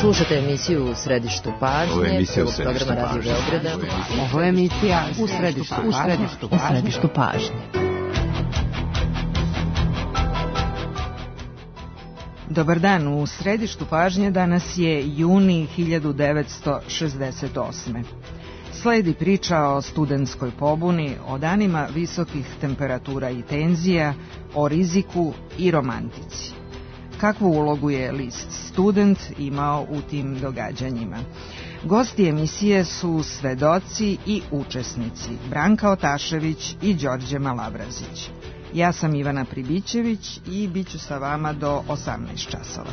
Slušate emisiju U središtu pažnje. Ovo je emisija U središtu pažnje. Ovo je emisija U središtu pažnje. Dobar dan, u središtu pažnje danas je juni 1968. Sledi priča o studentskoj pobuni, o danima visokih temperatura i tenzija, o riziku i romantici. Kakvu ulogu je list Student imao u tim događanjima? Gosti emisije su svedoci i učesnici Branka Otašević i Đorđe Malavrazić. Ja sam Ivana Pribićević i bit ću sa vama do 18 časova.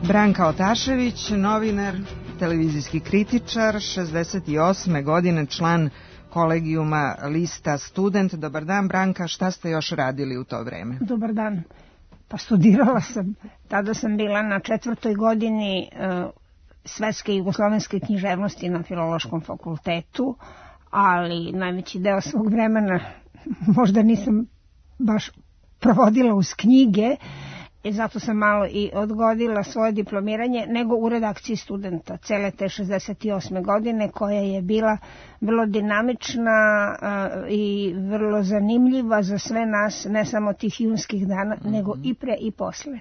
Branka Otašević, novinar, televizijski kritičar, 68. godine član kolegijuma lista Student. Dobar dan, Branka, šta ste još radili u to vreme? Dobar dan. Pa studirala sam. Tada sam bila na 4. godini svetske jugoslovenske književnosti na Filološkom fakultetu, ali najveći deo svog vremena možda nisam baš provodila uz knjige, i zato sam malo i odgodila svoje diplomiranje, nego u redakciji Studenta cele te 68. godine, koja je bila vrlo dinamična i vrlo zanimljiva za sve nas, ne samo tih junskih dana, nego i pre i posle.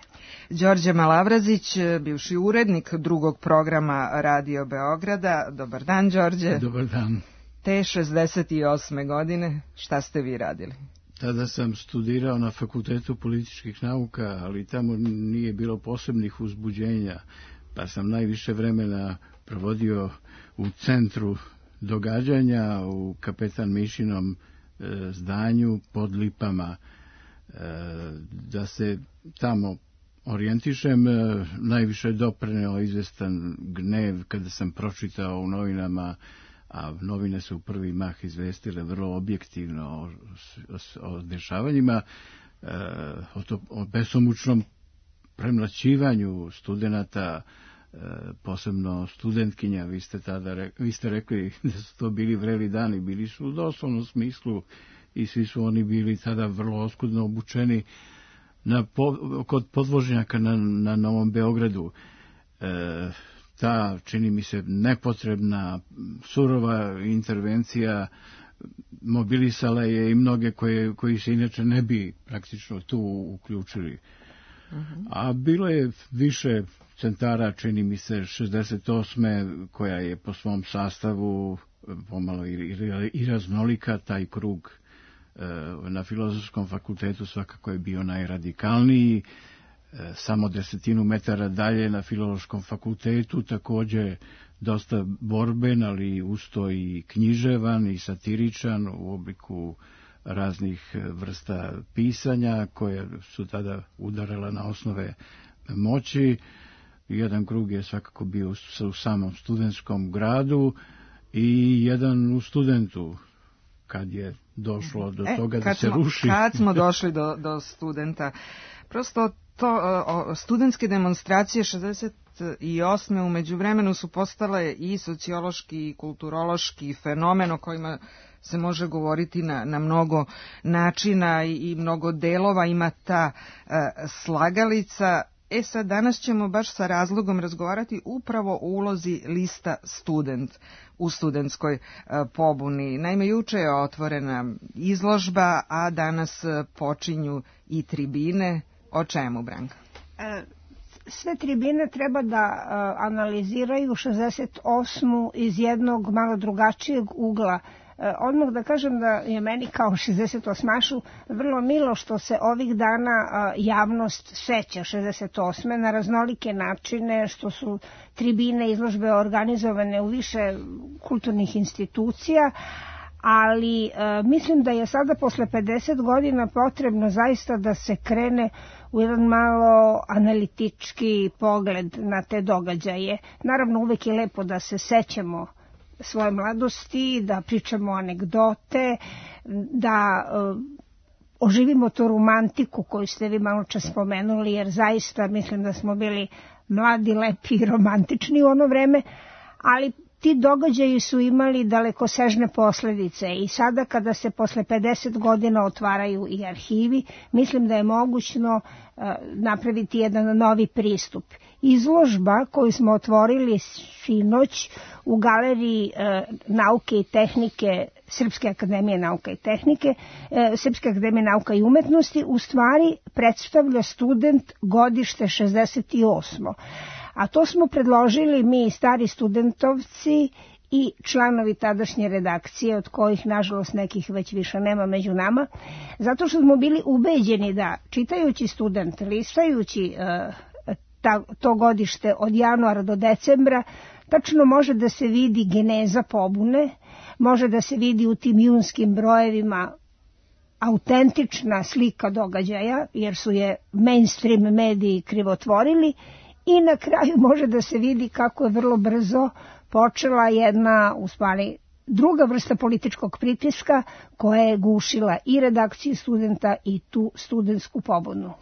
Đorđe Malavrazić, bivši urednik drugog programa Radio Beograda. Dobar dan, Đorđe. Dobar dan. Te 68. godine, šta ste vi radili? Tada sam studirao na Fakultetu političkih nauka, ali tamo nije bilo posebnih uzbuđenja, pa sam najviše vremena provodio u centru događanja, u Kapetan Mišinom zdanju pod Lipama. Da se tamo orijentišem, najviše je doprineo izvestan gnev kada sam pročitao u novinama, a novine su u prvi mah izvestile vrlo objektivno o dešavanjima, o besomučnom premlaćivanju studenata, posebno studentkinja. Vi ste rekli da su to bili vreli dani, bili su u doslovnom smislu i svi su oni bili tada vrlo oskudno obučeni kod podvožnjaka na Novom Beogradu. Ta, čini mi se, nepotrebna, surova intervencija mobilisala je i mnoge koji se inače ne bi praktično tu uključili. A bilo je više centara, čini mi se, 68. koja je po svom sastavu pomalo i raznolika. Taj krug na Filozofskom fakultetu svakako je bio najradikalniji. Samo 10 metara dalje na Filološkom fakultetu također dosta borben, ali usto i književan i satiričan u obliku raznih vrsta pisanja koje su tada udarala na osnove moći. Jedan krug je svakako bio u samom studentskom gradu i jedan u Studentu, kad je došlo do toga da se ruši. Kad smo došli do Studenta, prosto to studentske demonstracije 68. u međuvremenu su postale i sociološki i kulturološki fenomen o kojima se može govoriti na mnogo načina i mnogo delova. Ima ta slagalica. Sad danas ćemo baš sa razlogom razgovarati upravo o ulozi lista Student u studentskoj pobuni. Naime, juče je otvorena izložba, a danas počinju i tribine. O čemu, Branka? Sve tribine treba da analiziraju 68. iz jednog malo drugačijeg ugla. Odmah da kažem da je meni kao 68-ašu vrlo milo što se ovih dana javnost seća 68. na raznolike načine, što su tribine izložbe organizovane u više kulturnih institucija, ali mislim da je sada posle 50 godina potrebno zaista da se krene u jedan malo analitički pogled na te događaje. Naravno, uvek je lepo da se sećamo svoje mladosti, da pričamo anegdote, da oživimo tu romantiku koju ste vi malo čas spomenuli, jer zaista mislim da smo bili mladi, lepi i romantični u ono vreme, ali ti događaji su imali dalekosežne posledice i sada kada se posle 50 godina otvaraju i arhivi, mislim da je mogućno napraviti jedan novi pristup. Izložba koju smo otvorili sinoć u Galeriji nauke i tehnike Srpske akademije nauka i tehnike, Srpske akademije nauka i umetnosti, u stvari predstavlja student godište 68. A to smo predložili mi, stari studentovci i članovi tadašnje redakcije, od kojih nažalost nekih već više nema među nama, zato što smo bili ubeđeni da čitajući student, listajući to godište od januara do decembra, tačno može da se vidi geneza pobune, može da se vidi u tim junskim brojevima autentična slika događaja, jer su je mainstream mediji krivotvorili, i na kraju može da se vidi kako je vrlo brzo počela jedna, u stvari, druga vrsta političkog pritiska koja je gušila i redakciju studenta i tu studentsku pobunu.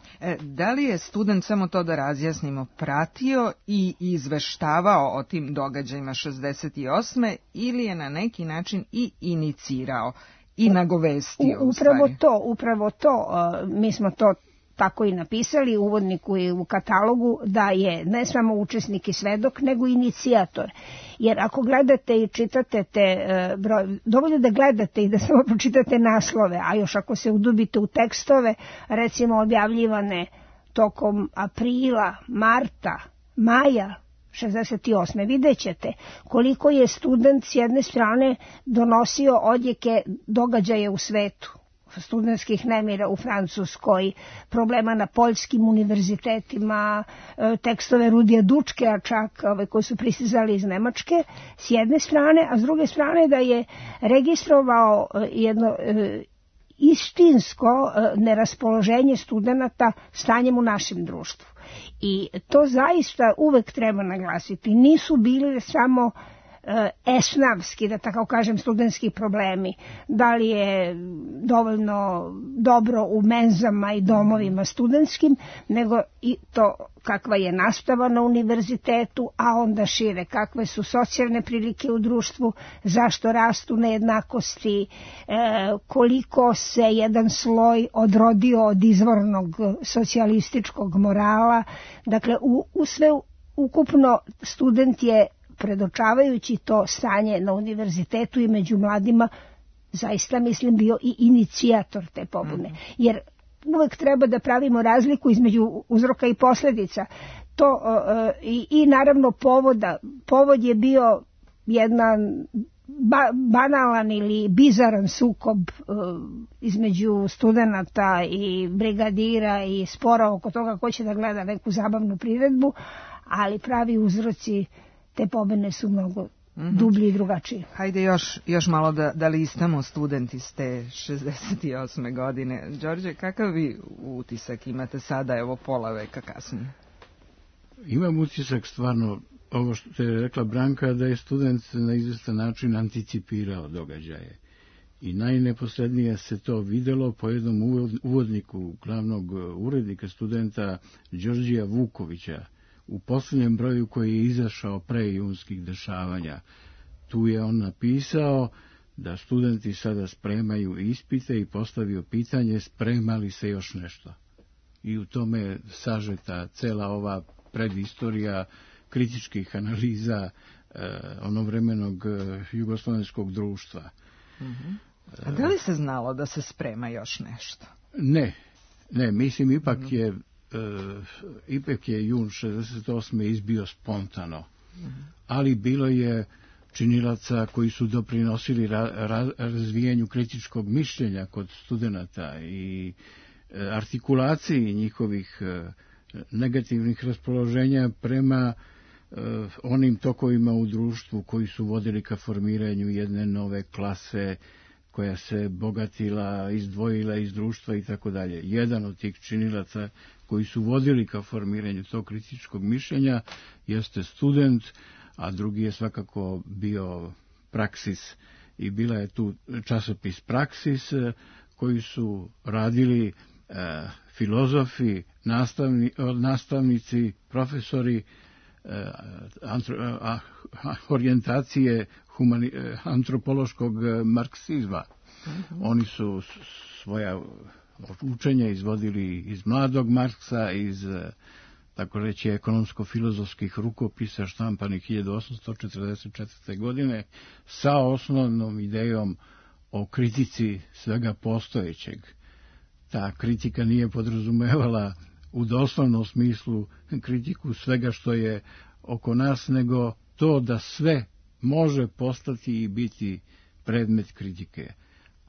Da li je student, samo to da razjasnimo, pratio i izveštavao o tim događajima 68. ili je na neki način i inicirao i nagovestio? Upravo to. Mi smo to tako i napisali u uvodniku i u katalogu, da je ne samo učesnik i svedok, nego inicijator. Jer ako gledate i čitate te broj, dovoljno da gledate i da samo pročitate naslove, a još ako se udubite u tekstove, recimo objavljivane tokom aprila, marta, maja 68. vidjet ćete koliko je student s jedne strane donosio odjeke događaja u svetu, studentskih nemira u Francuskoj, problema na poljskim univerzitetima, tekstove Rudija Dučkea čak, koji su pristizali iz Nemačke, s jedne strane, a s druge strane da je registrovao jedno istinsko neraspoloženje studenta stanjem u našem društvu. I to zaista uvek treba naglasiti. Nisu bili samo esnavski, da tako kažem, studentski problemi, da li je dovoljno dobro u menzama i domovima studentskim, nego i to kakva je nastava na univerzitetu, a onda šire, kakve su socijalne prilike u društvu, zašto rastu nejednakosti, koliko se jedan sloj odrodio od izvornog socijalističkog morala. Dakle, u sve ukupno student je, predočavajući to stanje na univerzitetu i među mladima, zaista mislim bio i inicijator te pobune. Jer uvek treba da pravimo razliku između uzroka i posljedica. To i naravno povoda. Povod je bio jedan banalan ili bizaran sukob između studenata i brigadira i spora oko toga ko će da gleda neku zabavnu priredbu, ali pravi uzroci te pobune su mnogo dublji i drugačiji. Hajde još malo da listamo studenti iz te 68. godine. Đorđe, kakav vi utisak imate sada, evo pola veka kasnije? Imam utisak stvarno, ovo što je rekla Branka, da je student na izvestan način anticipirao događaje. I najneposrednije se to videlo po jednom uvodniku glavnog urednika studenta Đorđija Vukovića, u posljednjem broju koji je izašao pre junskih dešavanja. Tu je on napisao da studenti sada spremaju ispite i postavio pitanje sprema li se još nešto. I u tome je sažeta cela ova predistorija kritičkih analiza onovremenog jugoslovenskog društva. A da li se znalo da se sprema još nešto? Ne, mislim ipak je jun 68. izbio spontano, ali bilo je činilaca koji su doprinosili razvijanju kritičkog mišljenja kod studenata i artikulaciji njihovih negativnih raspoloženja prema onim tokovima u društvu koji su vodili ka formiranju jedne nove klase koja se bogatila, izdvojila iz društva i tako dalje. Jedan od tih činilaca koji su vodili ka formiranju tog kritičkog mišljenja jeste student, a drugi je svakako bio Praksis i bila je tu časopis Praksis koji su radili filozofi, nastavnici, profesori orijentacije antropološkog marksizma. Oni su svoja učenja izvodili iz mladog Marksa, iz tako reći ekonomsko-filozofskih rukopisa štampanih 1844. godine sa osnovnom idejom o kritici svega postojećeg. Ta kritika nije podrazumevala u doslovnom smislu kritiku svega što je oko nas, nego to da sve može postati i biti predmet kritike.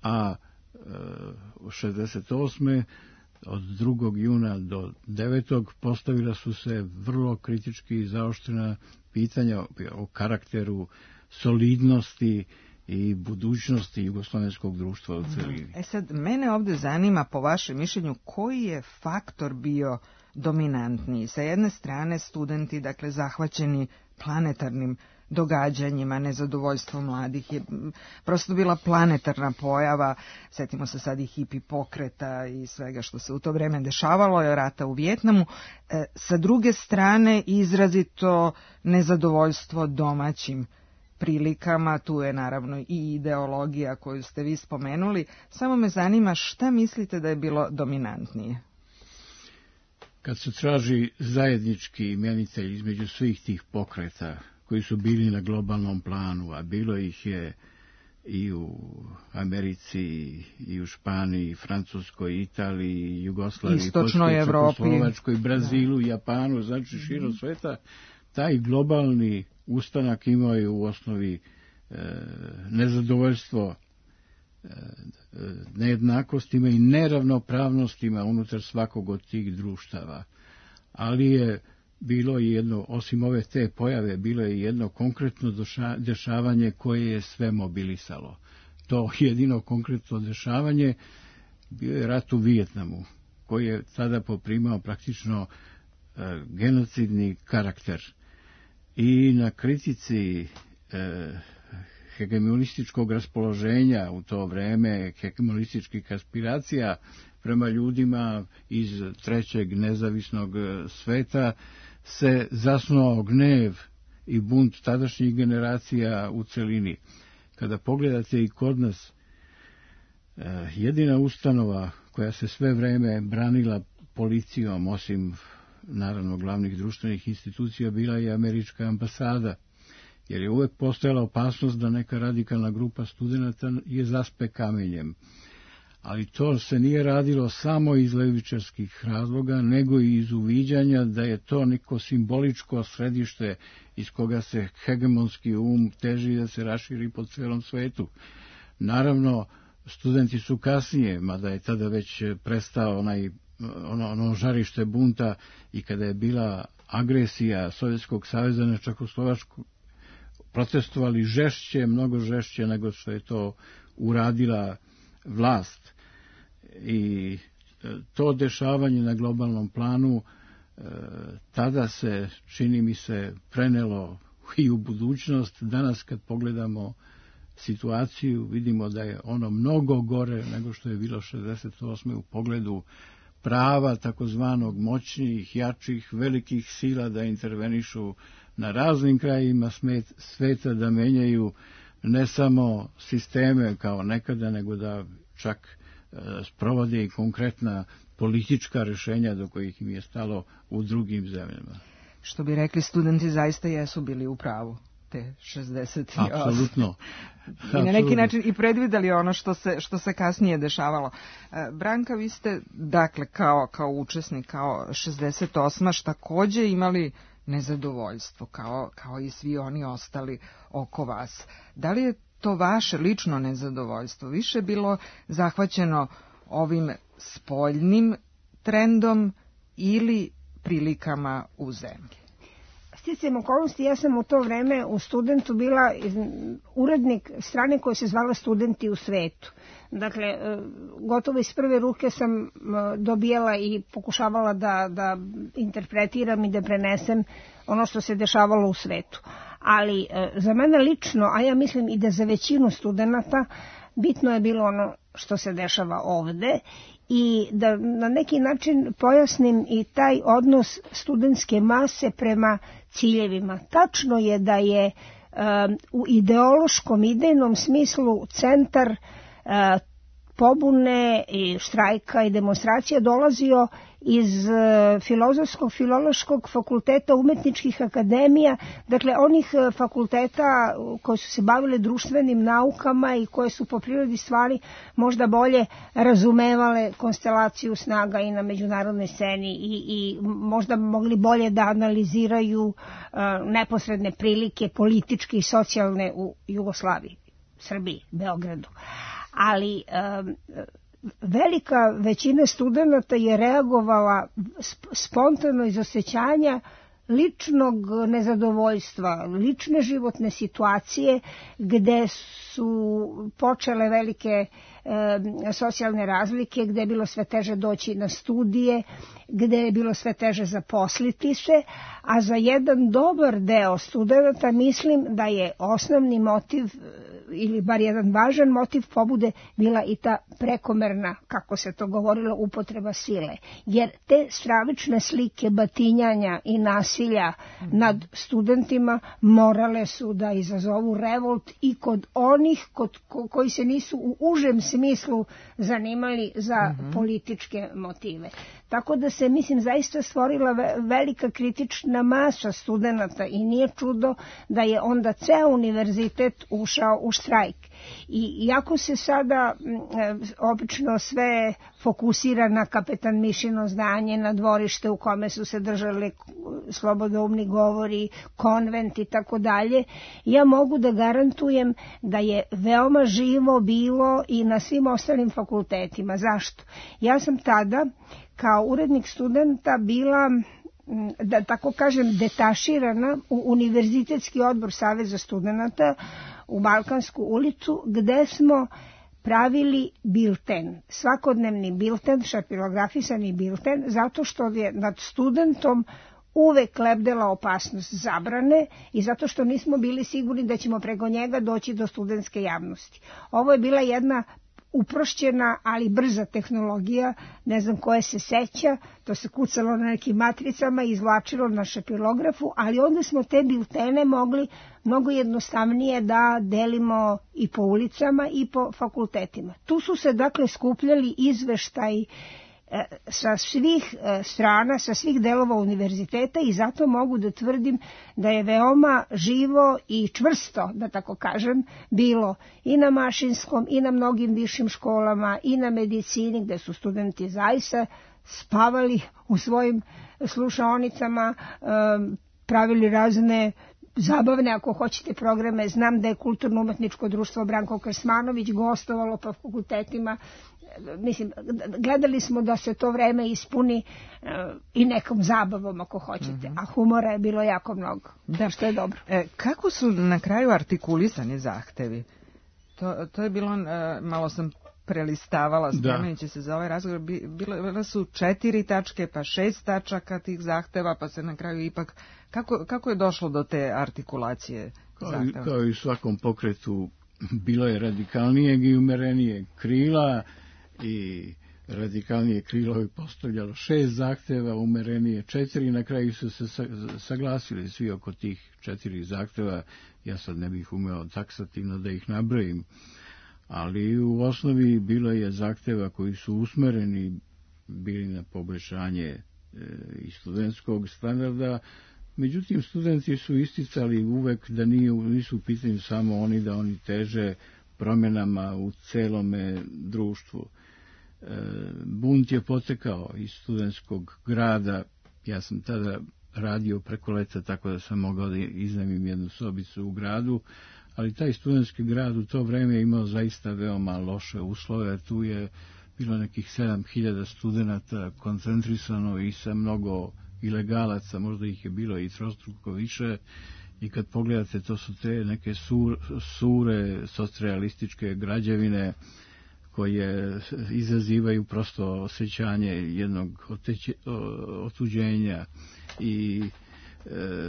A 68. od 2. juna do 9. postavila su se vrlo kritički zaoštrena pitanja o karakteru, solidnosti i budućnosti jugoslavenskog društva u celini. Sad, mene ovde zanima, po vašem mišljenju, koji je faktor bio dominantniji? Sa jedne strane, studenti, dakle, zahvaćeni planetarnim događanjima, nezadovoljstvo mladih je prosto bila planetarna pojava. Setimo se sad i hipi pokreta i svega što se u to vreme dešavalo, je rata u Vijetnamu. Sa druge strane, izrazito nezadovoljstvo domaćim prilikama, tu je naravno i ideologija koju ste vi spomenuli. Samo me zanima šta mislite da je bilo dominantnije? Kad se traži zajednički imenitelj između svih tih pokreta koji su bili na globalnom planu, a bilo ih je i u Americi, i u Španiji, Francuskoj, Italiji, Jugoslaviji, Istočnoj Evropi, Čekoslovačkoj, Brazilu, Japanu, znači širom sveta, taj globalni ustanak imao je u osnovi nezadovoljstvo nejednakostima i neravnopravnostima unutar svakog od tih društava. Ali je bilo i jedno, osim ove te pojave, bilo je jedno konkretno dešavanje koje je sve mobilisalo. To jedino konkretno dešavanje bio je rat u Vijetnamu, koji je tada poprimao praktično genocidni karakter. I na kritici hegemonističkog raspoloženja u to vreme, hegemonističkih aspiracija prema ljudima iz trećeg nezavisnog sveta, se zasnuo gnev i bunt tadašnjih generacija u celini. Kada pogledate i kod nas, jedina ustanova koja se sve vreme branila policijom, osim naravno glavnih društvenih institucija, bila je američka ambasada, jer je uvek postojala opasnost da neka radikalna grupa studenata je zaspe kamenjem. Ali to se nije radilo samo iz levičarskih razloga, nego i iz uviđanja da je to neko simboličko središte iz koga se hegemonski teži da se raširi po celom svetu. Naravno, studenti su kasnije, mada je tada već prestao ono žarište bunta i kada je bila agresija Sovjetskog saveza na Čekoslovačku, protestovali žešće, mnogo žešće nego što je to uradila vlast. I to dešavanje na globalnom planu tada se, čini mi se, prenelo i u budućnost. Danas kad pogledamo situaciju, vidimo da je ono mnogo gore nego što je bilo 68. u pogledu prava takozvanog moćnijih, jačih, velikih sila da intervenišu na raznim krajima sveta, da menjaju ne samo sisteme kao nekada, nego da čak sprovode i konkretna politička rešenja do kojih im je stalo u drugim zemljama. Što bi rekli, studenti zaista jesu bili u pravu te 68. Apsolutno. I na neki način i predvideli ono što se kasnije dešavalo. Branka, vi ste, dakle, kao učesnik, kao 68. takođe imali nezadovoljstvo, kao i svi oni ostali oko vas. Da li je to vaše lično nezadovoljstvo više bilo zahvaćeno ovim spoljnim trendom ili prilikama u zemlji? Sticajem okolnosti, ja sam u to vreme u Studentu bila urednik strane koja se zvala Studenti u svetu. Dakle, gotovo iz prve ruke sam dobijala i pokušavala da interpretiram i da prenesem ono što se dešavalo u svetu. Ali za mene lično, a ja mislim i da za većinu studenata, bitno je bilo ono što se dešava ovde i da na neki način pojasnim i taj odnos studentske mase prema ciljevima. Tačno je da je u ideološkom, idejnom smislu centar pobune i štrajka i demonstracija dolazio iz filološkog fakulteta, umetničkih akademija, dakle onih fakulteta koji su se bavili društvenim naukama i koje su po prirodi stvari možda bolje razumevale konstelaciju snaga i na međunarodnoj sceni i možda mogli bolje da analiziraju neposredne prilike političke i socijalne u Jugoslaviji, Srbiji, Beogradu. Ali velika većina studenata je reagovala spontano iz osjećanja ličnog nezadovoljstva, lične životne situacije gde su počele velike socijalne razlike, gde je bilo sve teže doći na studije, gde je bilo sve teže zaposliti se, a za jedan dobar deo studenata mislim da je osnovni motiv ili bar jedan važan motiv pobude bila i ta prekomerna, kako se to govorilo, upotreba sile. Jer te stravične slike batinjanja i nasilja nad studentima morale su da izazovu revolt i kod onih koji se nisu u užem smislu zanimali za političke motive. Tako da se, mislim, zaista stvorila velika kritična masa studenata i nije čudo da je onda ceo univerzitet ušao u štrajk. I iako se sada obično sve fokusira na Kapetan Mišino zdanje, na dvorište u kome su se držali slobodoumni govori, konvent i tako dalje, ja mogu da garantujem da je veoma živo bilo i na svim ostalim fakultetima. Zašto? Ja sam tada kao urednik studenta bila, da tako kažem, detaširana u Univerzitetski odbor Saveza studenata u Balkansku ulicu, gde smo pravili bilten, svakodnevni bilten, šapilografisani bilten, zato što je nad studentom uvek lebdela opasnost zabrane i zato što nismo bili sigurni da ćemo preko njega doći do studentske javnosti. Ovo je bila jedna uprošćena, ali brza tehnologija, ne znam koje se seća, to se kucalo na nekim matricama i izvlačilo na šapilografu, ali onda smo te biltene mogli mnogo jednostavnije da delimo i po ulicama i po fakultetima. Tu su se dakle skupljali izveštaji sa svih strana, sa svih delova univerziteta i zato mogu da tvrdim da je veoma živo i čvrsto, da tako kažem, bilo i na Mašinskom i na mnogim višim školama i na medicini gde su studenti zaista spavali u svojim slušaonicama, pravili razne zabavne, ako hoćete, programe. Znam da je Kulturno-umetničko društvo Branko Krsmanović gostovalo po fakultetima. Mislim, gledali smo da se to vreme ispuni i nekom zabavom, ako hoćete, a humora je bilo jako mnogo, da, što je dobro. Kako su na kraju artikulisani zahtevi? To je bilo, malo sam prelistavala spremajući se za ovaj razgovor, bile su 4 tačke, pa 6 tačaka tih zahteva, pa se na kraju ipak, kako je došlo do te artikulacije zahteva? Kao i u svakom pokretu, bilo je radikalnijeg i umerenijeg krila, i radikalnije krilo je postavljalo 6 zahteva, umerenije 4, na kraju su se saglasili svi oko tih 4 zahteva. Ja sad ne bih umeo taksativno da ih nabrojim, ali u osnovi bilo je zahteva koji su usmereni bili na poboljšanje i studentskog standarda. Međutim, studenti su isticali uvek da nisu u pitanju samo oni, da oni teže promjenama u celome društvu. Bunt je potekao iz studentskog grada. Ja sam tada radio preko leta, tako da sam mogao da iznajmim jednu sobicu u gradu, ali taj studentski grad u to vreme je imao zaista veoma loše uslove. Tu je bilo nekih 7000 studenata koncentrisano i sa mnogo ilegalaca, možda ih je bilo i trostruko više, i kad pogledate, to su te neke sure socrealističke građevine koje izazivaju prosto osjećanje jednog otuđenja i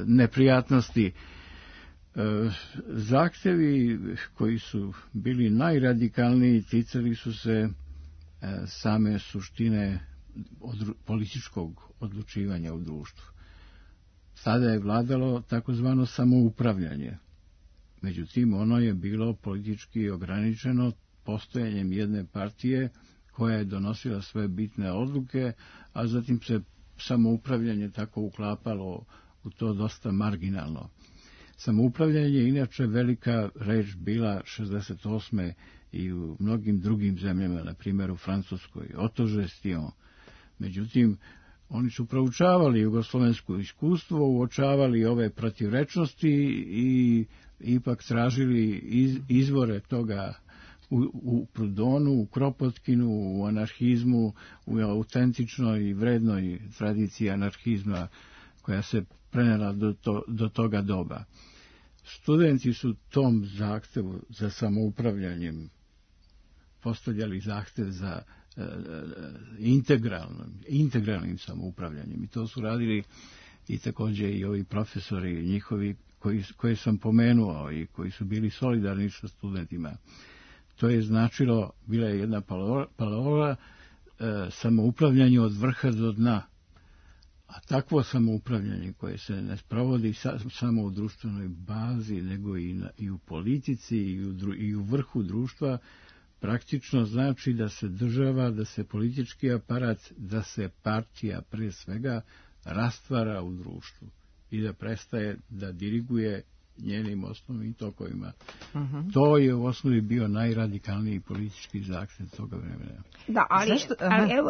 neprijatnosti. Zahtevi koji su bili najradikalniji ticali su se same suštine političkog odlučivanja u društvu. Sada je vladalo takozvano samoupravljanje. Međutim, ono je bilo politički ograničeno postojanjem jedne partije koja je donosila sve bitne odluke, a zatim se samoupravljanje tako uklapalo u to dosta marginalno. Samoupravljanje je inače velika reč bila 68. i u mnogim drugim zemljama, na primjer u Francuskoj, otožestio. Međutim, oni su proučavali jugoslovensko iskustvo, uočavali ove protivrečnosti i ipak tražili izvore toga u Prudonu, u Kropotkinu, u anarhizmu, u autentičnoj i vrednoj tradiciji anarhizma koja se prenela do toga doba. Studenti su tom zahtevu za samoupravljanjem postavljali zahtev za integralnim samoupravljanjem. I to su radili i također i ovi profesori njihovi koje sam pomenuo i koji su bili solidarni sa studentima. To je značilo, bila je jedna parola, samoupravljanje od vrha do dna. A takvo samoupravljanje koje se ne sprovodi samo u društvenoj bazi, nego i u politici i u vrhu društva, praktično znači da se država, da se politički aparat, da se partija pre svega rastvara u društvu i da prestaje da diriguje njenim osnovnim tokovima. To je u osnovi bio najradikalniji politički zahtev toga vremena. Da, ali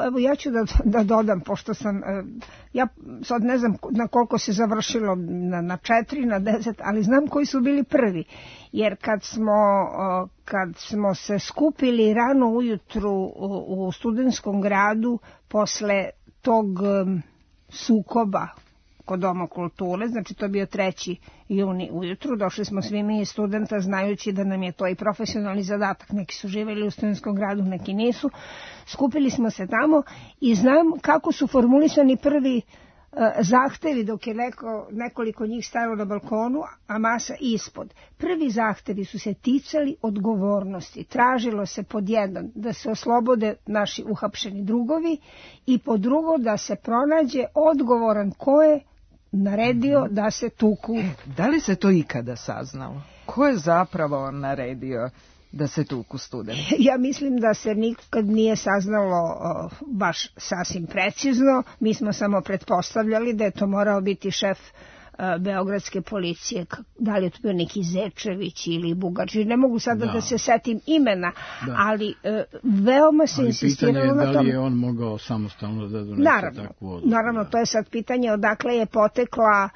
evo ja ću da dodam, pošto sam, ja sad ne znam na koliko se završilo, na 4, na 10, ali znam koji su bili prvi. Jer kad smo se skupili rano ujutru u studentskom gradu posle tog sukoba kod Doma kulture, znači to je bio 3. juni ujutru, došli smo svi mi studenta znajući da nam je to i profesionalni zadatak, neki su živjeli u studentskom gradu, neki nisu, skupili smo se tamo i znam kako su formulisani prvi zahtevi dok je nekoliko njih stajalo na balkonu, a masa ispod. Prvi zahtevi su se ticali odgovornosti. Tražilo se pod jedan da se oslobode naši uhapšeni drugovi i pod drugo da se pronađe odgovoran ko je naredio da se tuku. Da li se to ikada saznalo? Ko je zapravo naredio da se tuku studenti? Ja mislim da se nikad nije saznalo baš sasvim precizno. Mi smo samo pretpostavljali da je to morao biti šef beogradske policije, da li je to bio neki Zečević ili Bugači, ne mogu sada da se setim imena, ali veoma se insistiralo na tom. Da li je on mogao samostalno da donese takvu odluku? Naravno, to je sad pitanje odakle je potekla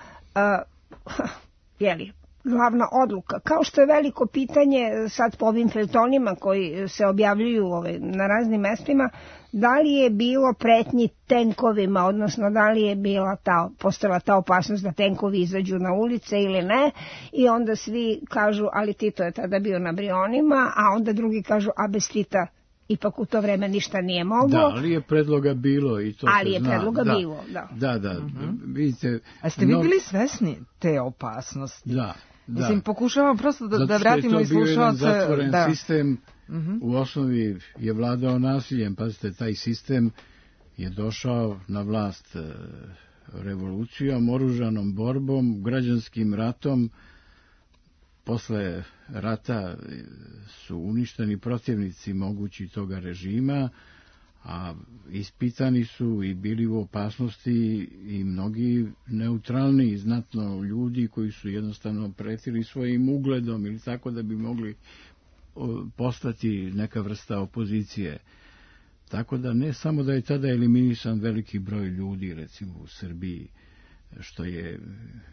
glavna odluka. Kao što je veliko pitanje sad po ovim feljtonima koji se objavljuju na raznim mestima, da li je bilo pretnji tenkovima, odnosno da li je postojala ta opasnost da tenkovi izađu na ulice ili ne, i onda svi kažu, ali Tito je tada bio na Brionima, a onda drugi kažu, a bez Tita ipak u to vreme ništa nije moglo. Da, ali je predloga bilo i to se zna. Ali je predloga bilo, da. Da, vidite. A ste vi bili svesni te opasnosti? Da. Mislim, pokušavam prosto da vratimo i slušalce. Zato što je to bio jedan zatvoren sistem, u osnovi je vladao nasiljem. Pazite, taj sistem je došao na vlast revolucijom, oružanom borbom, građanskim ratom. Posle rata su uništeni protivnici mogući toga režima, a ispitani su i bili u opasnosti i mnogi neutralni znatno ljudi koji su jednostavno pretili svojim ugledom ili tako da bi mogli postati neka vrsta opozicije. Tako da ne samo da je tada eliminisan veliki broj ljudi, recimo u Srbiji, što je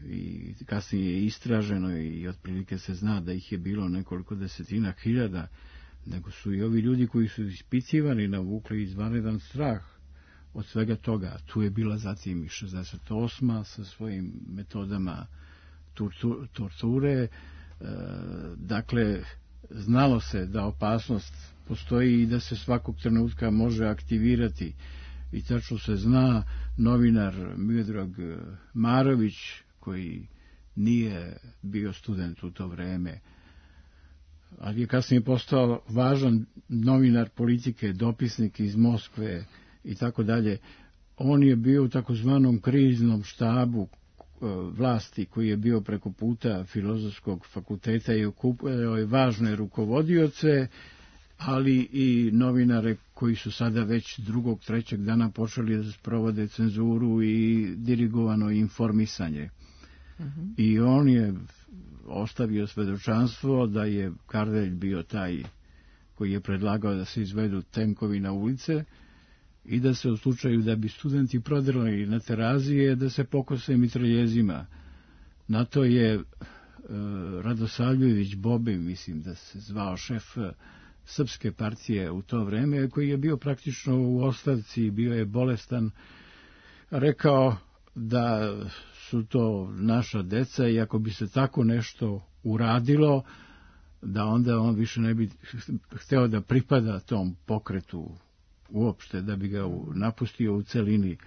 i kasnije istraženo i otprilike se zna da ih je bilo nekoliko desetina hiljada, nego su i ovi ljudi koji su ispitivani navukli izvanredan strah od svega toga. Tu je bila zatim i 68. sa svojim metodama torture. Dakle, znalo se da opasnost postoji i da se svakog trenutka može aktivirati. I tačno se zna, novinar Miodrag Marović, koji nije bio student u to vreme, ali je kasnije postao važan novinar politike, dopisnik iz Moskve i tako dalje. On je bio u takozvanom kriznom štabu vlasti koji je bio preko puta Filozofskog fakulteta i okupljao je važne rukovodioce, ali i novinare koji su sada već drugog, trećeg dana počeli da sprovode cenzuru i dirigovano informisanje. I on je ostavio svedočanstvo da je Kardelj bio taj koji je predlagao da se izvedu tenkovi na ulice i da se u slučaju da bi studenti prodrli na Terazije, da se pokose mitraljezima. Na to je Radosavljević Bobe, mislim da se zvao šef Srpske partije u to vreme, koji je bio praktično u ostavci, bio je bolestan, rekao da su to naša deca i ako bi se tako nešto uradilo, da onda on više ne bi hteo da pripada tom pokretu uopšte, da bi ga napustio u celini.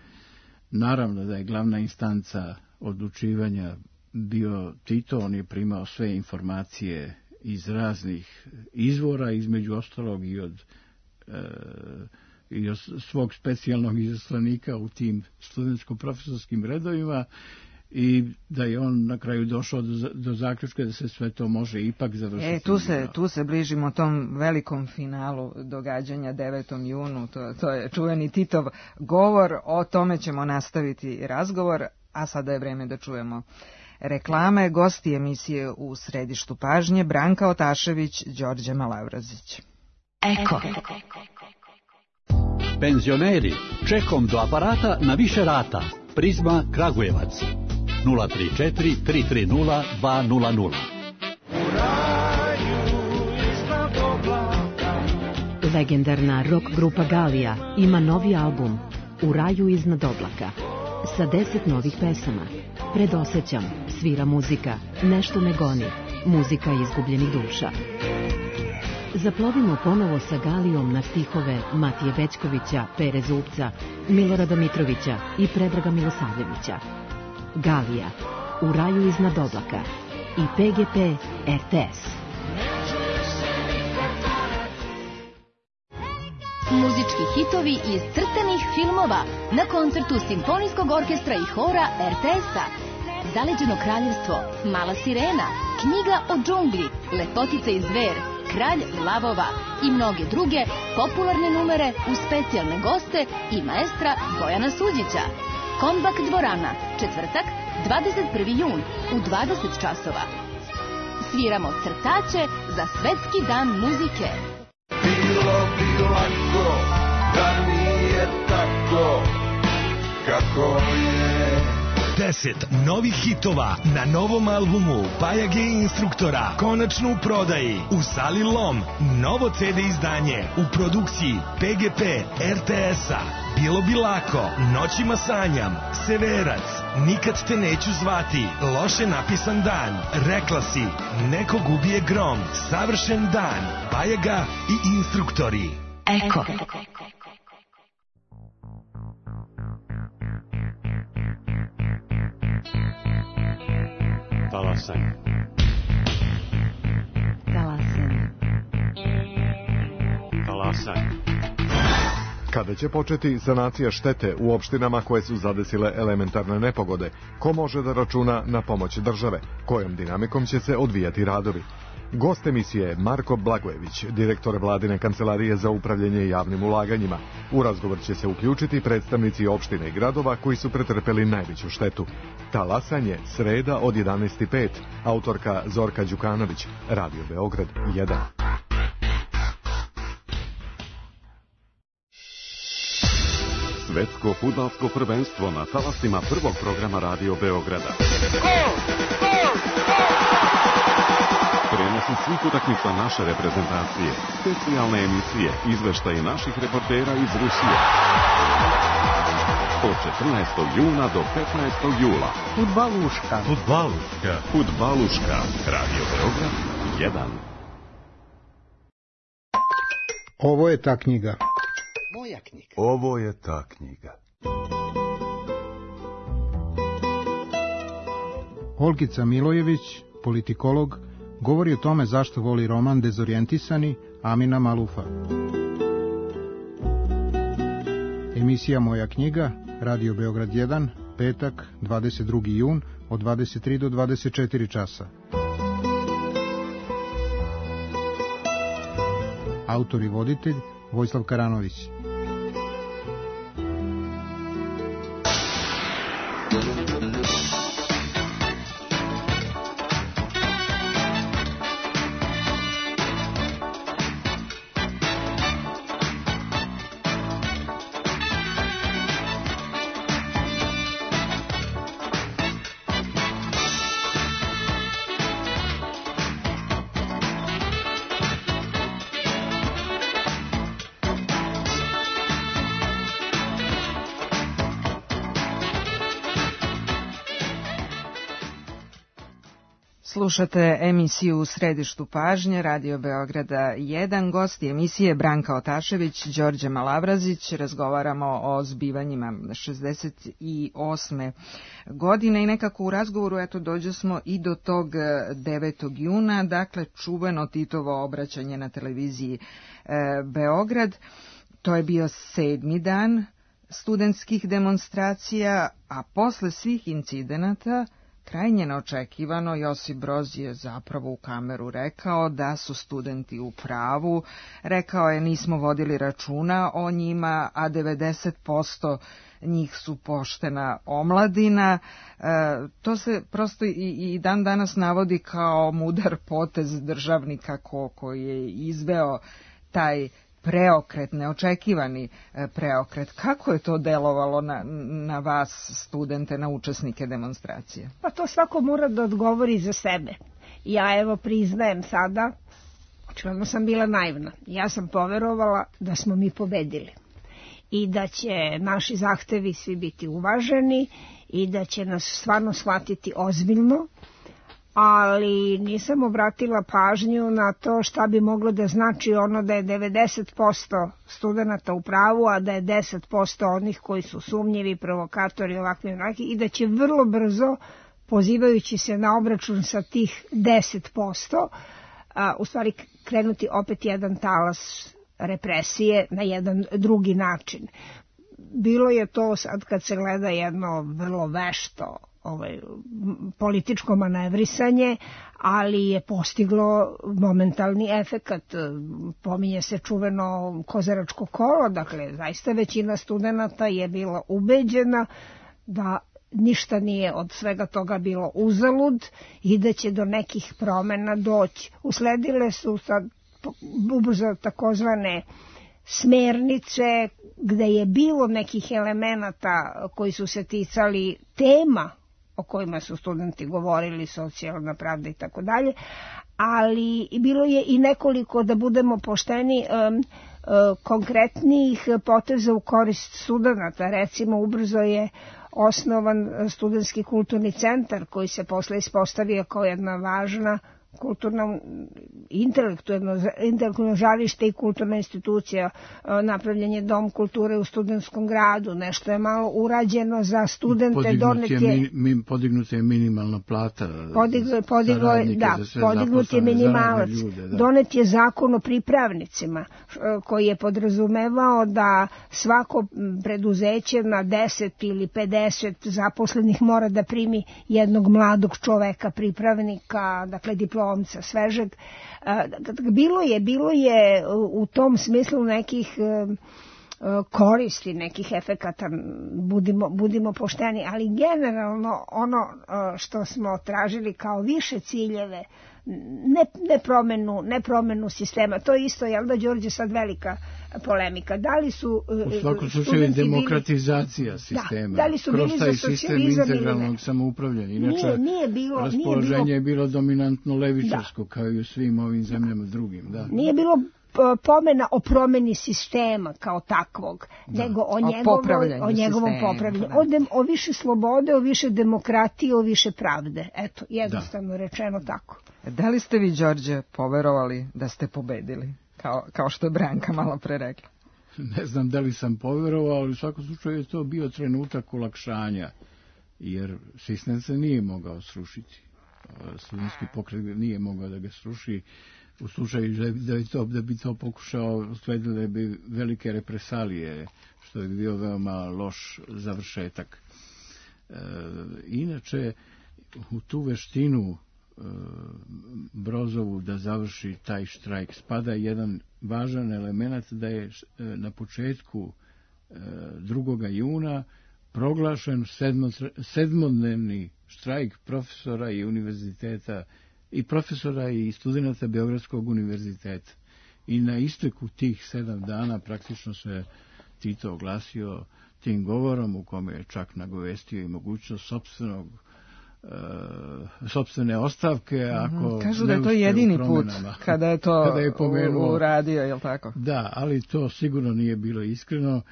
Naravno da je glavna instanca odlučivanja bio Tito, on je primao sve informacije iz raznih izvora, između ostalog i od svog specijalnog izaslanika u tim studentsko-profesorskim redovima, i da je on na kraju došao do zaključka da se sve to može ipak završiti. Tu se bližimo tom velikom finalu događanja 9. junu, to je čuveni Titov govor, o tome ćemo nastaviti razgovor, a sada je vreme da čujemo reklame. Gosti emisije u središtu pažnje: Branka Otašević, Đorđe Malavrazić. Eko. Penzioneri, čekom do aparata na više rata. Prizma Kragujevac 034 330 200. Legendarna rock grupa Galija ima novi album U raju iznad oblaka sa 10 novih pesama. Predosećam, svira muzika, nešto me goni, muzika izgubljenih duša. Zaplovimo ponovo sa Galijom na stihove Matije Bećkovića, Pere Zupca, Milorada Mitrovića i Predraga Milosavljevića. Galija, U raju iznad oblaka i PGP RTS. Muzički hitovi iz crtanih filmova na koncertu Simfonijskog orkestra i hora RTS-a. Zaleđeno kraljevstvo, Mala sirena, Knjiga o džungli, Lepotica i zver, Kralj lavova i mnoge druge popularne numere uz specijalne goste i maestra Bojana Suđića. Kombak dvorana, četvrtak, 21. jun u 20 časova. Sviramo crtače za Svetski dan muzike. Bilo bi lako da nije tako kako je. 10 novih hitova na novom albumu Bajage i instruktora konačno u prodaji u sali Lom. Novo CD izdanje u produkciji PGP RTS-a. Bilo bi lako, Noćima sanjam, Severac, Nikad te neću zvati, Loše napisan dan, Rekla si, Neko gubije grom, Savršen dan, Bajaga i instruktori. Eko. Talasanj. Talasanj. Talasanj. Kada će početi sanacija štete u opštinama koje su zadesile elementarne nepogode? Ko može da računa na pomoć države? Kojom dinamikom će se odvijati radovi? Gost emisije je Marko Blagojević, direktor Vladine kancelarije za upravljanje javnim ulaganjima. U razgovor će se uključiti predstavnici opštine i gradova koji su pretrpeli najveću štetu. Talasanje, sreda od 11:05, autorka Zorka Đukanović, Radio Beograd 1. Svetsko fudbalsko prvenstvo na talasima prvog programa Radio Beograda. Prenosi svih utakmica naše reprezentacije, specijalne emisije, izveštaje naših reportera iz Rusije. Od 14. juna do 15. jula. Fudbaluška. Fudbaluška. Fudbaluška. Radio Beograd 1. Ovo je ta knjiga. Moja knjiga. Ovo je ta knjiga. Olgica Milojević, politikolog, govori o tome zašto voli roman Dezorijentisani Amina Malufa. Emisija Moja knjiga, Radio Beograd 1, petak, 22. jun, od 23 do 24 časa. Autor i voditelj Vojislav Karanović. Slušate emisiju U središtu pažnje, Radio Beograda 1. Gosti emisije Branka Otašević, Đorđe Malavrazić. Razgovaramo o zbivanjima 68. godine i nekako u razgovoru dođe smo i do tog 9. juna, dakle čuveno Titovo obraćanje na televiziji Beograd. To je bio 7. dan studentskih demonstracija, a posle svih incidenata krajnje neočekivano Josip Broz je zapravo u kameru rekao da su studenti u pravu. Rekao je nismo vodili računa o njima, a 90% njih su poštena omladina. To se prosto i dan danas navodi kao mudar potez državnika koji je izveo taj preokret, neočekivani preokret. Kako je to delovalo na vas, studente, na učesnike demonstracije? Pa to svako mora da odgovori za sebe. Ja priznajem sada, očigledno sam bila naivna. Ja sam poverovala da smo mi pobedili i da će naši zahtevi svi biti uvaženi i da će nas stvarno shvatiti ozbiljno, ali nisam obratila pažnju na to šta bi moglo da znači ono da je 90% studenta u pravu, a da je 10% onih koji su sumnjivi, provokatori, ovakvi i da će vrlo brzo, pozivajući se na obračun sa tih 10%, u stvari krenuti opet jedan talas represije na jedan drugi način. Bilo je to sad kad se gleda jedno vrlo vešto političko manevrisanje, ali je postiglo momentalni efekat. Pominje se čuveno kozaračko kolo, dakle zaista većina studenata je bila ubeđena da ništa nije od svega toga bilo uzalud i da će do nekih promena doći. Usledile su sad ubrzo takozvane smernice gde je bilo nekih elemenata koji su se ticali tema o kojima su studenti govorili, socijalna pravda i tako dalje, ali bilo je i nekoliko, da budemo pošteni, konkretnijih poteza u korist studenata. Recimo, ubrzo je osnovan studentski kulturni centar koji se posle ispostavio kao jedna važna kulturno, intelektualno žarište i kulturna institucija. Napravljen je dom kulture u studentskom gradu, nešto je malo urađeno za studente. Podignuta je minimalna plata podignut je minimalac. Donet je zakon o pripravnicima koji je podrazumevao da svako preduzeće na 10 ili 50 zaposlenih mora da primi jednog mladog čoveka, pripravnika, dakle diplomca svežeg. Bilo je u tom smislu nekih koristi, nekih efekata, budimo pošteni, ali generalno ono što smo tražili kao više ciljeve, ne promenu sistema. To je isto, jel da, Đorđe, sad velika polemika. Da li su u svakom slučaju demokratizacija sistema, da li su bili za socijalizam integralnog samoupravljanja. Inače, raspoloženje je bilo dominantno levičarsko, kao i u svim ovim zemljama drugim. Da. Nije bilo pomena o promeni sistema kao takvog, nego o njegovom popravljanju. O više slobode, o više demokratije, o više pravde. Eto, jednostavno rečeno tako. Da li ste vi, Đorđe, poverovali da ste pobedili, kao što je Branka malo pre rekla? Ne znam da li sam poverovao, ali u svakom slučaju je to bio trenutak olakšanja, jer sistem se nije mogao srušiti. studentski pokret nije mogao da ga sruši. U slučaju da bi to pokušao, sledile bi velike represalije, što bi bio veoma loš završetak. Inače, u tu veštinu Brozovu da završi taj štrajk spada jedan važan element, da je na početku 2. juna proglašen sedmodnevni štrajk profesora i univerziteta i profesora i studenata Beogradskog univerziteta. I na isteku tih 7 dana praktično se Tito oglasio tim govorom u kome je čak nagovestio i mogućnost sopstvene ostavke. Ako kažu da je to jedini put kada je to uradio, je li tako? Da, ali to sigurno nije bilo iskreno.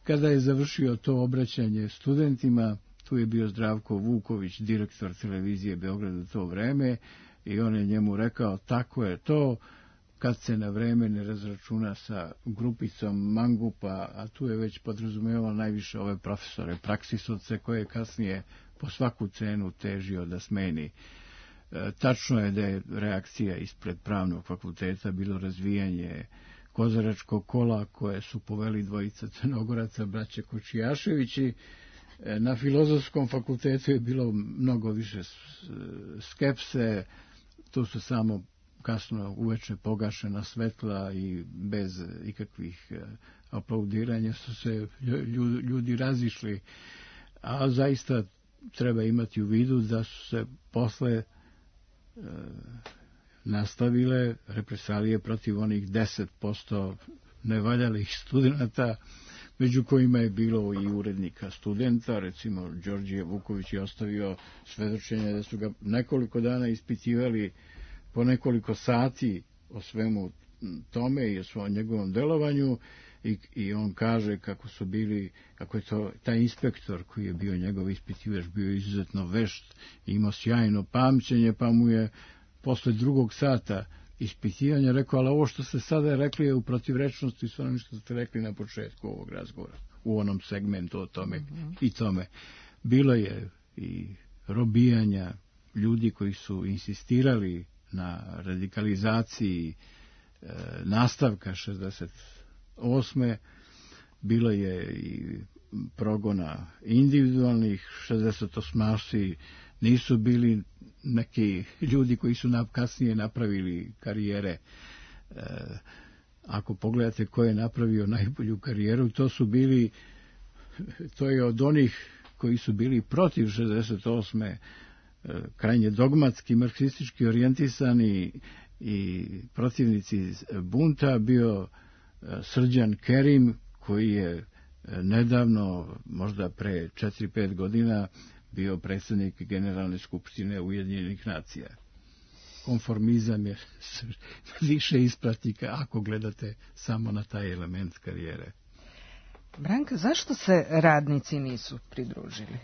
Kada je završio to obraćanje studentima, tu je bio Zdravko Vuković, direktor televizije Beograda u to vreme, i on je njemu rekao, tako je to, kad se na vreme ne razračuna sa grupicom mangupa, a tu je već podrazumevalo najviše ove profesore, praksisovce, koje je kasnije po svaku cenu težio da smeni. Tačno je da je reakcija ispred Pravnog fakulteta bilo razvijanje kozaračkog kola koje su poveli dvojica Crnogoraca, braće Kočijaševići. Na Filozofskom fakultetu je bilo mnogo više skepse, tu su samo kasno uveče pogašena svetla i bez ikakvih aplaudiranja su se ljudi razišli, a zaista treba imati u vidu da su se posle nastavile represalije protiv onih 10% nevaljalih studenata, među kojima je bilo i urednika Studenta, recimo Đorđije Vuković je ostavio svedočenje da su ga nekoliko dana ispitivali po nekoliko sati o svemu tome i o svom njegovom delovanju, i on kaže kako je to taj inspektor koji je bio njegov ispitivač bio izuzetno vešt i imao sjajno pamćenje, pa mu je posle 2. sata ispitivanja rekao, ali ovo što ste sada rekli je u protivrečnosti s onim što ste rekli na početku ovog razgovora, u onom segmentu o tome i tome. Bilo je i robijanja ljudi koji su insistirali na radikalizaciji nastavka 68. Bilo je i progona individualnih. 68. nisu bili neki ljudi koji su kasnije napravili karijere. Ako pogledate ko je napravio najbolju karijeru, to je od onih koji su bili protiv 68. krajnje dogmatski, marksistički orijentisani i protivnici bunta, bio Srđan Kerim, koji je nedavno, možda pre 4-5 godina, bio predsjednik Generalne skupštine Ujedinjenih nacija. Konformizam je više ispratika ako gledate samo na taj element karijere. Branka, zašto se radnici nisu pridružili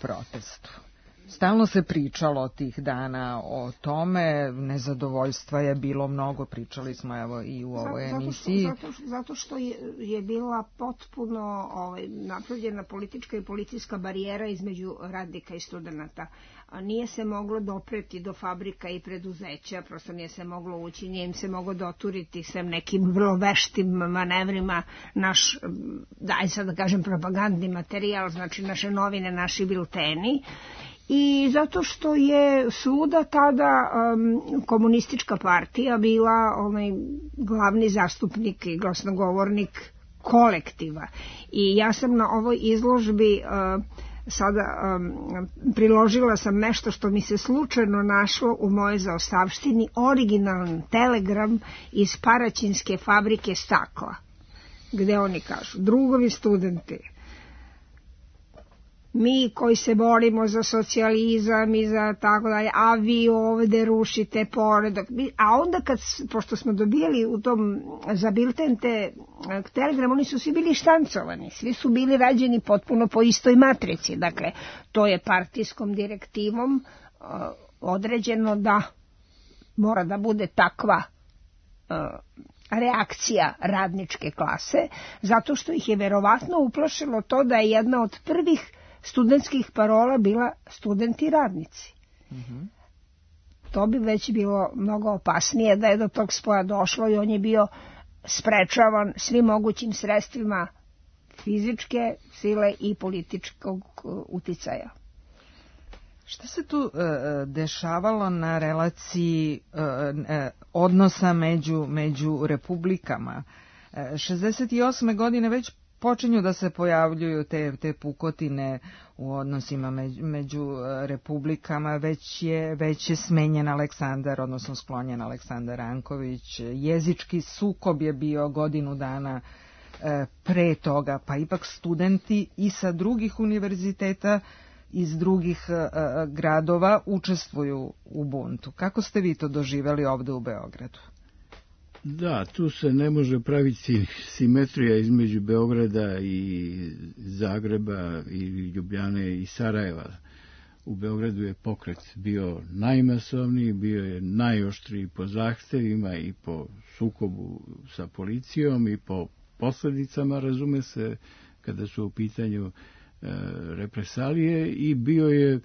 protestu? Stalno se pričalo tih dana o tome, nezadovoljstva je bilo mnogo, pričali smo evo i u ovoj emisiji. Zato što je bila potpuno napravljena politička i policijska barijera između radnika i studenata. Nije se moglo dopreti do fabrika i preduzeća, prosto nije se moglo ući, nije im se moglo doturiti sem nekim vrlo veštim manevrima naš, sad da kažem, propagandni materijal, znači naše novine, naši bilteni. I zato što je svuda tada komunistička partija bila glavni zastupnik i glasnogovornik kolektiva. I ja sam na ovoj izložbi sada priložila sam nešto što mi se slučajno našlo u mojoj zaostavštini, originalan telegram iz Paraćinske fabrike stakla, gde oni kažu: drugovi studenti, mi koji se borimo za socijalizam i za tako dalje, a vi ovde rušite poredak. A onda pošto smo dobijali u tom za bilten te telegram, oni su svi bili štancovani, svi su bili rađeni potpuno po istoj matrici. Dakle, to je partijskom direktivom određeno da mora da bude takva reakcija radničke klase, zato što ih je verovatno uplašilo to da je jedna od prvih studentskih parola bila studenti radnici. To bi već bilo mnogo opasnije da je do tog spoja došlo i on je bio sprečavan svim mogućim sredstvima fizičke sile i političkog uticaja. Šta se tu dešavalo na relaciji odnosa među republikama? 68. godine već počinju da se pojavljuju te pukotine u odnosima među republikama, već je smenjen Aleksandar, odnosno sklonjen Aleksandar Ranković. Jezički sukob je bio godinu dana pre toga, pa ipak studenti i sa drugih univerziteta iz drugih gradova učestvuju u buntu. Kako ste vi to doživjeli ovde u Beogradu? Da, tu se ne može praviti simetrija između Beograda i Zagreba i Ljubljane i Sarajeva. U Beogradu je pokret bio najmasovniji, bio je najoštriji po zahtevima i po sukobu sa policijom i po posljedicama, razume se, kada su u pitanju represalije, i bio je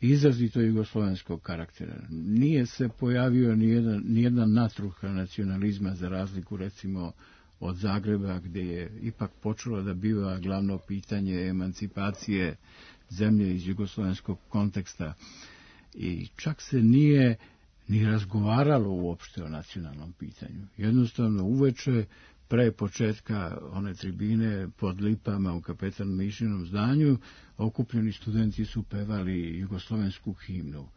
izrazito jugoslovenskog karaktera. Nije se pojavio nijedna natruha nacionalizma, za razliku recimo od Zagreba, gdje je ipak počelo da biva glavno pitanje emancipacije zemlje iz jugoslovenskog konteksta. I čak se nije ni razgovaralo uopšte o nacionalnom pitanju. Jednostavno uveče, pre početka one tribine pod lipama u Kapetan Mišinom zdanju, okupljeni studenti su pevali jugoslovensku himnu.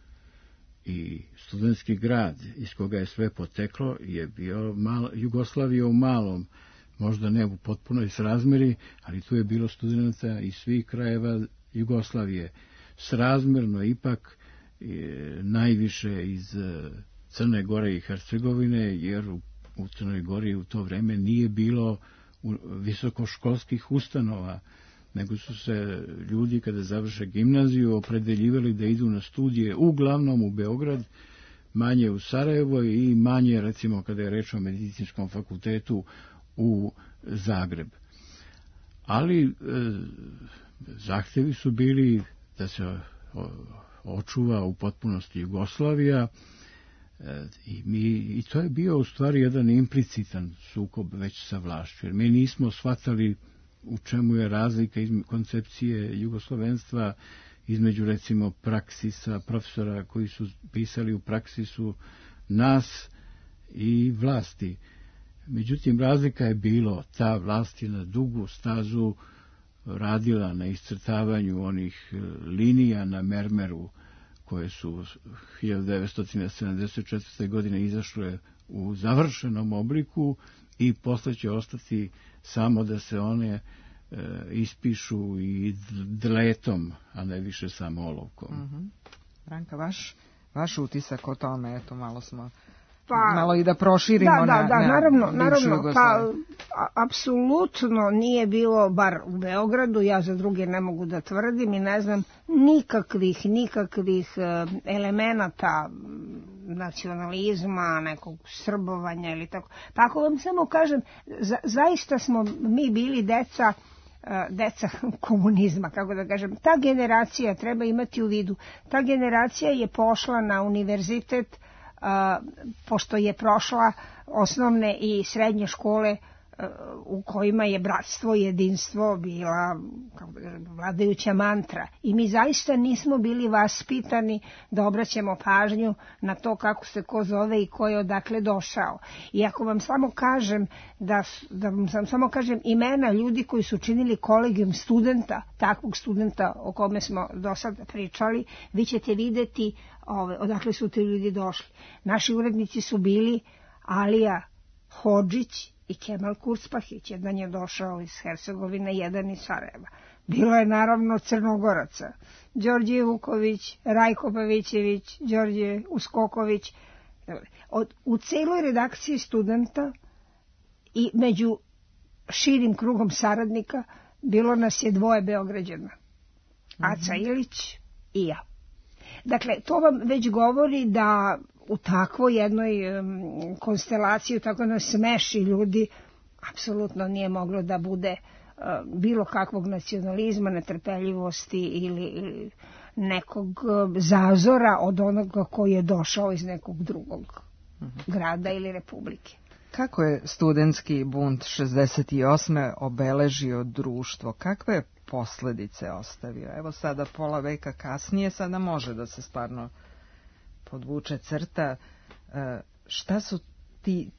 I studentski grad iz koga je sve poteklo je bio Jugoslavija u malom, možda ne u potpunoj srazmeri, ali tu je bilo studenta iz svih krajeva Jugoslavije. Srazmerno ipak najviše iz Crne Gore i Hercegovine, jer u Crnoj Gori u to vreme nije bilo visokoškolskih ustanova, nego su se ljudi kada završe gimnaziju opredeljivali da idu na studije uglavnom u Beograd, manje u Sarajevo i manje, recimo, kada je reč o medicinskom fakultetu, u Zagreb. Ali zahtevi su bili da se očuva u potpunosti Jugoslavija, i to je bio u stvari jedan implicitan sukob već sa vlašću, jer mi nismo shvatali u čemu je razlika koncepcije jugoslovenstva između, recimo, praksisa, profesora koji su pisali u praksisu, nas i vlasti. Međutim, razlika je bilo, ta vlast je na dugu stazu radila na iscrtavanju onih linija na mermeru koje su 1974. godine izašle u završenom obliku i posle će ostati samo da se one ispišu i dletom, a ne više samo olovkom. Branka, vaš utisak o tome, eto, malo smo... malo i da proširimo na bivšu Jugoslaviju. Apsolutno nije bilo, bar u Beogradu, ja za druge ne mogu da tvrdim i ne znam nikakvih elemenata nacionalizma, nekog srbovanja ili tako. Pa ako vam samo kažem, zaista smo mi bili deca komunizma, kako da kažem. Ta generacija, treba imati u vidu, ta generacija je pošla na univerzitet pošto je prošla osnovne i srednje škole u kojima je bratstvo i jedinstvo bila vladajuća mantra. I mi zaista nismo bili vaspitani da obraćamo pažnju na to kako se ko zove i ko je odakle došao. I ako vam samo kažem da vam samo kažem imena ljudi koji su činili kolegijum studenta, takvog studenta o kome smo do sada pričali, vi ćete videti odakle su ti ljudi došli. Naši urednici su bili Alija Hodžić i Kemal Kurspahić. Jedan je došao iz Hercegovine, jedan iz Sarajeva. Bilo je naravno Crnogoraca. Đorđe Vuković, Rajko Pavićević, Đorđe Uskoković. U celoj redakciji studenta i među širim krugom saradnika bilo nas je 2 Beograđana. Aca Ilić i ja. Dakle, to vam već govori da u takvoj jednoj konstelaciji, u tako jednoj smeši ljudi, apsolutno nije moglo da bude bilo kakvog nacionalizma, netrpeljivosti ili nekog zazora od onoga koji je došao iz nekog drugog grada ili republike. Kako je studentski bunt 68. obeležio društvo? Kakve posledice ostavio? Evo sada pola veka kasnije, sada može da se stvarno podvuče crta. Šta su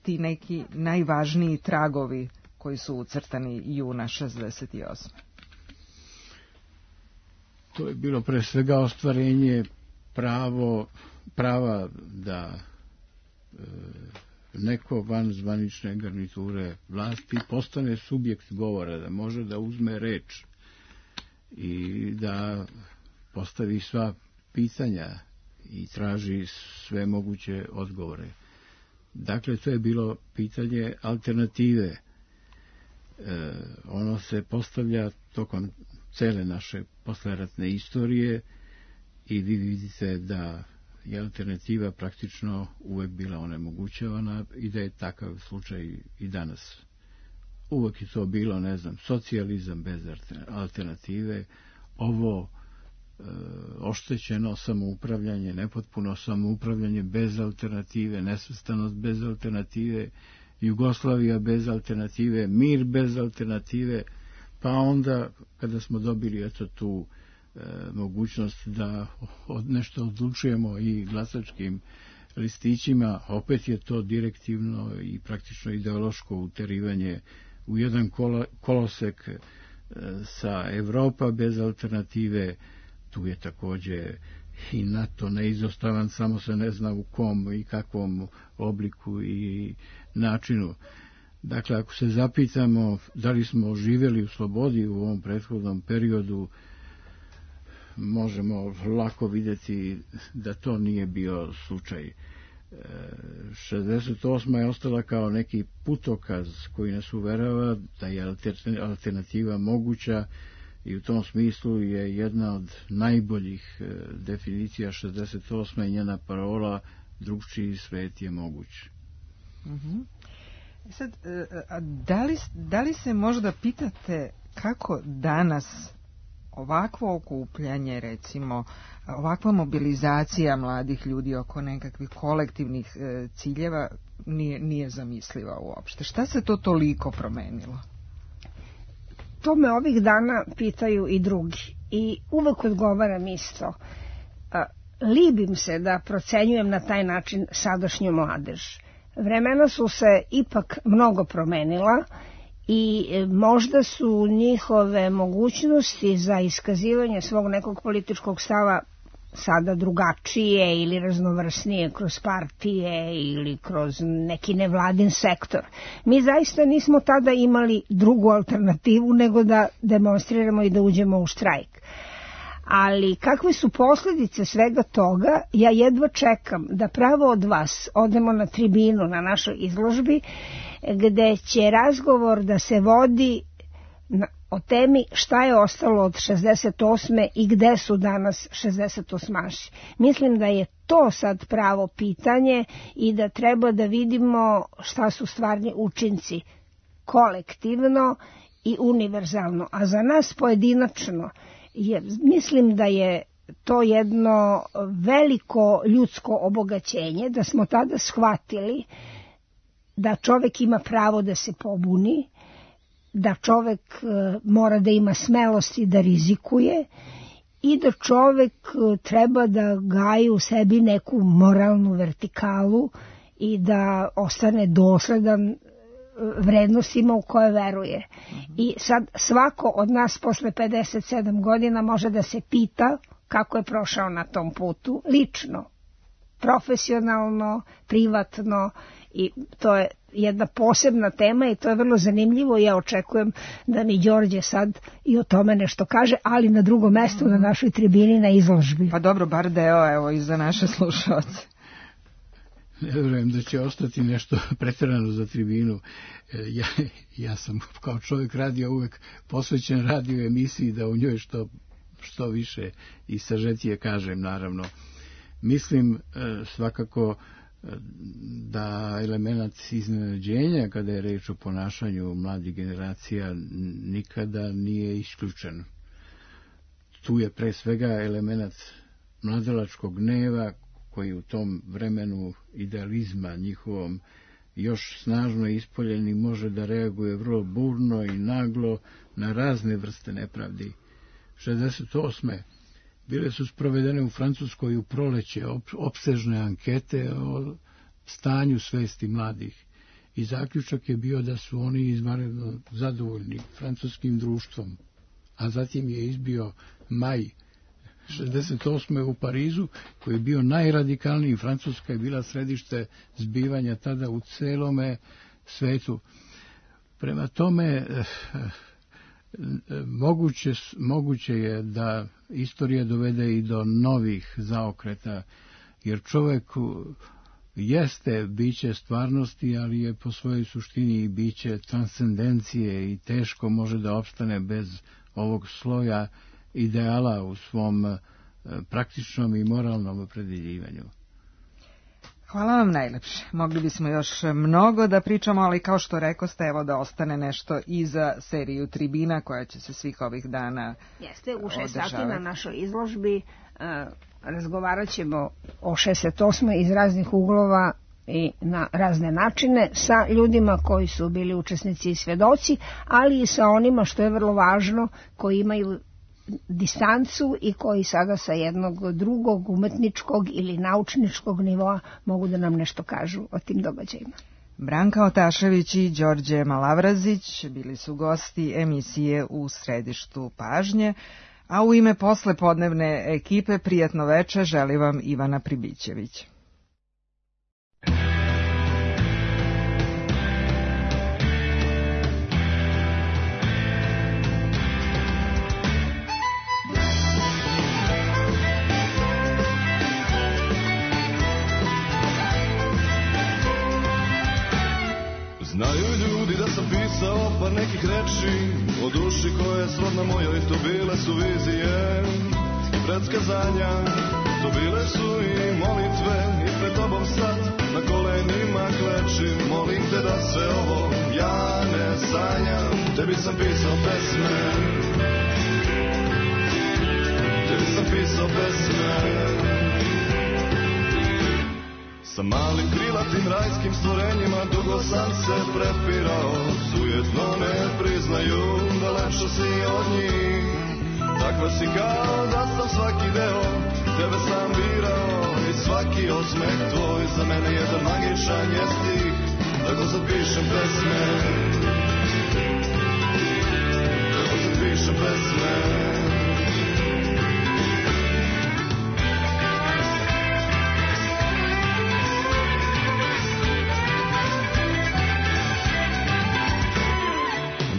ti neki najvažniji tragovi koji su ucrtani juna 68. To je bilo pre svega ostvarenje prava da neko van zvanične garniture vlasti postane subjekt govora, da može da uzme reč i da postavi sva pitanja i traži sve moguće odgovore. Dakle, to je bilo pitanje alternative. Ono se postavlja tokom cele naše posleratne istorije i vi vidite da je alternativa praktično uvek bila onemogućavana i da je takav slučaj i danas. Uvek je to bilo, ne znam, socijalizam bez alternative, ovo oštećeno samoupravljanje, nepotpuno samoupravljanje bez alternative, nesvrstanost bez alternative, Jugoslavija bez alternative, mir bez alternative, pa onda kada smo dobili tu mogućnost da nešto odlučujemo i glasačkim listićima, opet je to direktivno i praktično ideološko uterivanje u jedan kolosek sa Evropa bez alternative. Tu je takođe i NATO neizostavan, samo se ne zna u kom i kakvom obliku i načinu. Dakle, ako se zapitamo da li smo živjeli u slobodi u ovom prethodnom periodu, možemo lako vidjeti da to nije bio slučaj. 68. je ostala kao neki putokaz koji nas uverava da je alternativa moguća i u tom smislu je jedna od najboljih definicija 68. i njena parola drugčiji svet je moguć. Sad, da li se možda pitate kako danas ovakvo okupljanje, recimo, ovakva mobilizacija mladih ljudi oko nekakvih kolektivnih ciljeva nije zamisliva uopšte? Šta se to toliko promenilo? To me ovih dana pitaju i drugi i uvek odgovaram isto. Libim se da procenjujem na taj način sadašnju mladež. Vremena su se ipak mnogo promenila i možda su njihove mogućnosti za iskazivanje svog nekog političkog stava sada drugačije ili raznovrsnije kroz partije ili kroz neki nevladin sektor. Mi zaista nismo tada imali drugu alternativu nego da demonstriramo i da uđemo u štrajk. Ali kakve su posljedice svega toga, ja jedva čekam da pravo od vas odemo na tribinu na našoj izložbi gde će razgovor da se vodi o temi šta je ostalo od 68. i gde su danas 68-aši. Mislim da je to sad pravo pitanje i da treba da vidimo šta su stvarni učinci kolektivno i univerzalno. A za nas pojedinačno, mislim da je to jedno veliko ljudsko obogaćenje, da smo tada shvatili da čovek ima pravo da se pobuni, da čovek mora da ima smelosti da rizikuje i da čovek treba da gaji u sebi neku moralnu vertikalu i da ostane dosledan vrednostima u koje veruje. I sad svako od nas posle 57 godina može da se pita kako je prošao na tom putu, lično, profesionalno, privatno, i to je jedna posebna tema i to je vrlo zanimljivo i ja očekujem da mi Đorđe sad i o tome nešto kaže, ali na drugom mestu na našoj tribini na izložbi. Pa dobro, bar deo, evo, i za naše slušalce. Ne vjerujem da će ostati nešto preterano za tribinu. Ja sam kao čovjek radio uvek posvećen radio emisiji da u njoj što više i sažetije kažem, naravno. Mislim svakako da element iznenađenja kada je reč o ponašanju mladih generacija nikada nije isključen. tu je pre svega element mladalačkog gneva koji u tom vremenu idealizma njihovom još snažno ispoljen i može da reaguje vrlo burno i naglo na razne vrste nepravdi. 68. bile su sprovedene u Francuskoj u proleće opsežne ankete o stanju svesti mladih i zaključak je bio da su oni izvanredno zadovoljni francuskim društvom. A zatim je izbio maj 68. u Parizu, koji je bio najradikalniji. Francuska je bila središte zbivanja tada u celome svetu. Prema tome, moguće je da istorija dovede i do novih zaokreta, jer čovjek jeste biće stvarnosti, ali je po svojoj suštini i biće transcendencije i teško može da opstane bez ovog sloja ideala u svom praktičnom i moralnom opredeljivanju. Hvala vam najlepše. Mogli bismo još mnogo da pričamo, ali kao što rekoste, evo da ostane nešto i za seriju Tribina koja će se svih ovih dana Jeste, u 6 sati na našoj izložbi razgovarat ćemo o 68. iz raznih uglova i na razne načine sa ljudima koji su bili učesnici i svedoci, ali i sa onima, što je vrlo važno, koji imaju distancu i koji sada sa jednog drugog umetničkog ili naučničkog nivoa mogu da nam nešto kažu o tim događajima. Branka Otašević i Đorđe Malavrazić bili su gosti emisije U središtu pažnje, a u ime poslepodnevne ekipe prijatno veče želi vam Ivana Pribićević. Znaju ljudi da sam pisao par nekih reči o duši koje je srodna mojoj, to bile su vizije i predskazanja, to bile su i molitve i pred tobom sad na kolenima klečim, molim te da sve ovo ja ne sanjam. Tebi sam pisao pesme, tebi sam pisao pesme. Sa malim krilatim rajskim stvorenjima dugo sam se prepirao, sujetno ne priznaju da lepša si od njih. Takva si kao da sam svaki deo, tebe sam birao i svaki osmeh tvoj za mene jedan magičan je stih. Tako sad pišem pesme, tako sad pišem pesme.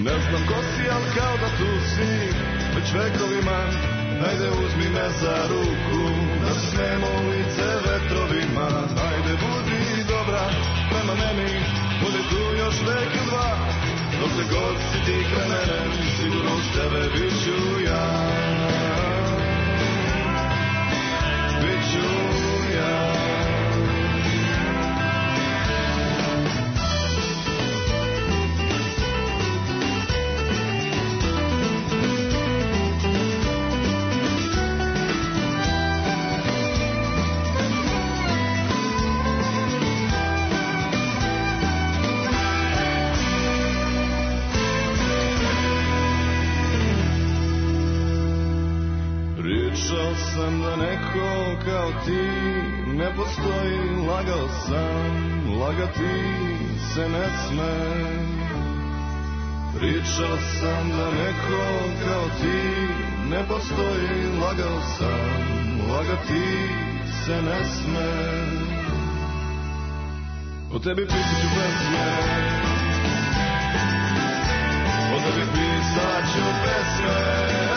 Ne znam ko si, ali kao da tu si već vekovima. Hajde uzmi me za ruku, da se smemo u lice vetrovima. Hajde budi dobra prema meni, budi tu još vek i dva. Dokle god si ti kraj mene, sigurno uz tebe bit ću ja. Bit ću ja. Sam da neko kao ti ne postoji, lagao sam, lagati se ne sme. Pričao sam da neko kao ti ne postoji, lagao sam, lagati se ne sme. O tebi pisat ću pesme, o tebi pisat ću pesme.